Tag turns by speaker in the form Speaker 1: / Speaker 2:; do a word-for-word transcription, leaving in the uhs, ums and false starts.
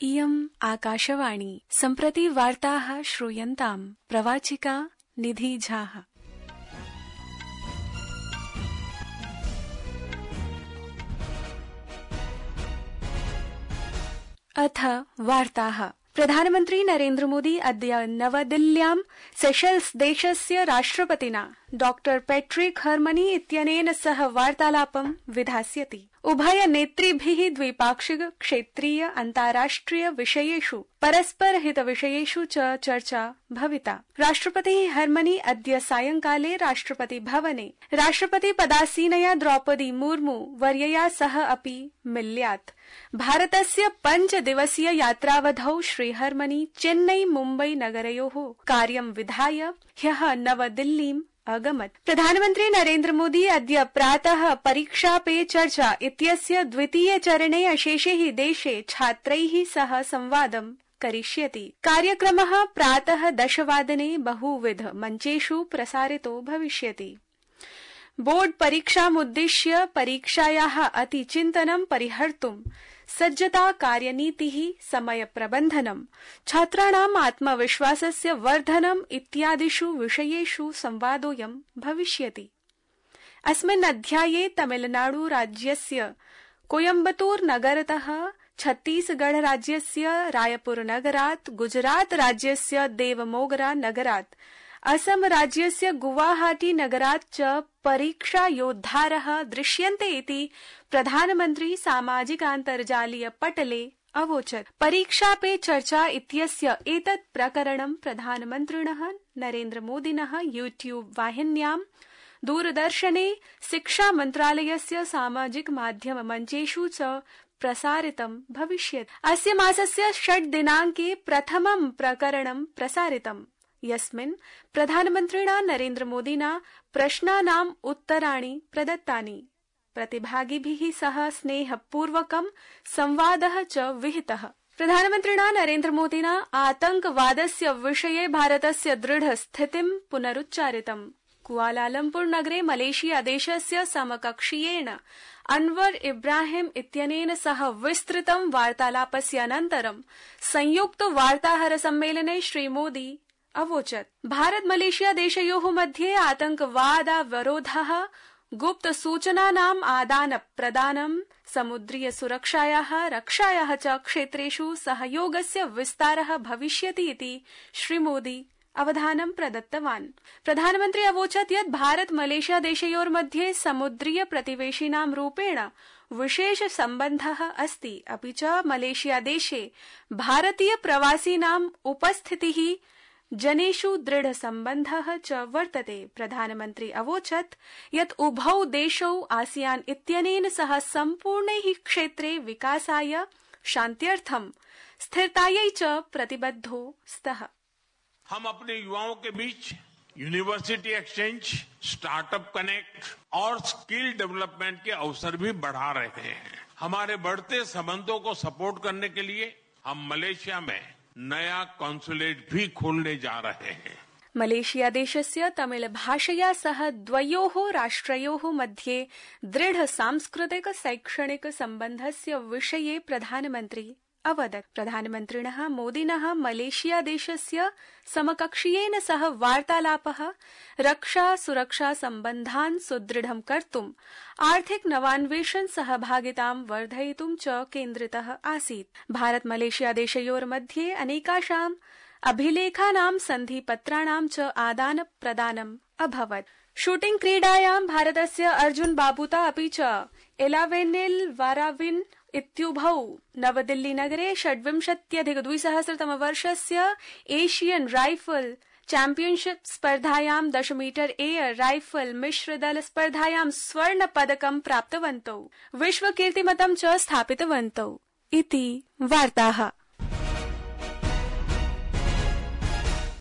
Speaker 1: इयम् आकाशवाणी सम्प्रति वार्ताः श्रूयन्ताम् प्रवाचिका निधि झाः। अथ वार्ताः। प्रधानमन्त्री नरेन्द्र मोदी अद्य नवदिल्ल्यां सेशेल्स् देशस्य राष्ट्रपतिना डॉक्टर पैट्रिक हर्मनी इत्यनेन सह वार्तालापं विधास्यति। उभय नेतृभिः द्विपाक्षिक क्षेत्रीय अन्ताराष्ट्रिय विषयेषु परस्पर हित विषयेषु च चर्चा भविता। राष्ट्रपतिः हर्मनी अद्य सायंकाले राष्ट्रपति भवने राष्ट्रपति पदासीनया द्रौपदी मुर्मू वर्यया सह अपि मिल्यात्। भारतस्य पञ्च दिवसीय यात्रावधौ श्रीहर्मनी चेन्नई मुम्बई नगरयोः कार्यं विधाय ह्यः नवदिल्लीम् अगमत्। प्रधानमन्त्री नरेन्द्र मोदी अद्य प्रातः परीक्षा पे चर्चा इत्यस्य द्वितीय चरणे अशेषैः देशे छात्रैः सह संवादं करिष्यति। कार्यक्रमः प्रातः दशवादने बहुविध मञ्चेषु प्रसारितो भविष्यति। बोर्ड परीक्षामुद्दिश्य परीक्षायाः अतिचिन्तनं परिहर्तुं सज्जता कार्यनीतिः समय प्रबन्धनं छात्राणाम् आत्मविश्वासस्य वर्धनम् इत्यादिषु विषयेषु संवादोऽयं भविष्यति। अस्मिन् अध्याये तमिलनाडु राज्यस्य कोयम्बतूर नगरतः छत्तीसगढ़ राज्यस्य रायपुर नगरात् गुजरात राज्यस्य देवमोगरा नगरात् असम राज्यस्य गुवाहाटी नगरात् च परीक्षा योद्धारः दृश्यन्ते इति प्रधानमन्त्री सामाजिकान्तर्जालीय पटले अवोचत्। परीक्षा पे चर्चा इत्यस्य एतत् प्रकरणं प्रधानमन्त्रिणः नरेन्द्र मोदिनः यूट्यूब वाहिन्यां दूरदर्शने शिक्षा मन्त्रालयस्य सामाजिक माध्यम मञ्चेषु च प्रसारितं भविष्यति। अस्य मासस्य षट् दिनाङ्के प्रथमं प्रकरणं प्रसारितम्, यस्मिन् प्रधानमन्त्रिणा नरेन्द्र मोदिना प्रश्नानाम् उत्तराणि प्रदत्तानि। प्रतिभागिभिः सह स्नेहपूर्वकं संवादः च विहितः। प्रधानमन्त्रिणा नरेन्द्र मोदिना आतंकवादस्य विषये भारतस्य दृढ स्थितिं पुनरुच्चारितम्। कुआलालम्पुर नगरे मलेशिया देशस्य समकक्षीयेण अनवर इब्राहिम इत्यनेन सह विस्तृतं वार्तालापस्य अनन्तरं संयुक्त वार्ताहर सम्मेलने श्रीमोदी अवोचत्। भारत मलेशिया देशयोः मध्ये आतंकवादावरोधः, गुप्त सूचनानाम् आदान प्रदानं, समुद्रीय सुरक्षायाः रक्षायाः च क्षेत्रेषु सहयोगस्य विस्तारः भविष्यति इति श्रीमोदी अवधानं प्रदत्तवान्। प्रधानमन्त्री अवोचत् यत् भारत मलेशिया देशयोर्मध्ये समुद्रीय प्रतिवेशिनां रूपेण विशेष सम्बन्धः अस्ति, अपि च मलेशिया देशे भारतीय प्रवासिनाम् उपस्थितिः जनेषु दृढ सम्बन्धः च वर्तते। प्रधानमन्त्री अवोचत् यत् उभौ देशौ आसियान इत्यनेन सह सम्पूर्णैः क्षेत्रे विकासाय, शान्त्यर्थं, स्थिरतायै च प्रतिबद्धौ स्तः।
Speaker 2: हम अपने युवाओं के बीच यूनिवर्सिटी एक्सचेंज, स्टार्टअप कनेक्ट और स्किल डेवलपमेंट के अवसर भी बढ़ा रहे हैं। हमारे बढ़ते संबंधों को सपोर्ट करने के लिए हम मलेशिया में नया कॉन्सुलेट भी खोलने जा रहे हैं।
Speaker 1: मलेशिया देशस्य तमिल भाषया सह द्वयोः राष्ट्रयोः मध्ये दृढ सांस्कृतिक शैक्षणिक सम्बन्धस्य विषये प्रधानमन्त्री अवदत्। प्रधानमन्त्रिणः मोदिनः मलेशिया देशस्य समकक्षीयेन सह वार्तालापः रक्षा सुरक्षा सम्बन्धान् सुदृढं कर्तुम्, आर्थिक नवान्वेषण सहभागितां वर्धयितुं च केन्द्रितः आसीत्। भारत मलेशिया देशयोर्मध्ये अनेकाषाम् अभिलेखानां सन्धिपत्राणां च आदान प्रदानम् अभवत्। शूटिंग क्रीडायां भारतस्य अर्जुन बाबूता अपि च एलावेनिल वाराविन इत्युभौ नवदिल्ली नगरे षड्विंशत्यधिक द्विसहस्रतमवर्षस्य एशियन राइफल चैंपियनशिप स्पर्धायां दश मीटर एयर राइफल मिश्रदल स्पर्धायां स्वर्ण पदकं प्राप्तवन्तौ, विश्व कीर्तिमतं च स्थापितवन्तौ इति वार्ताः।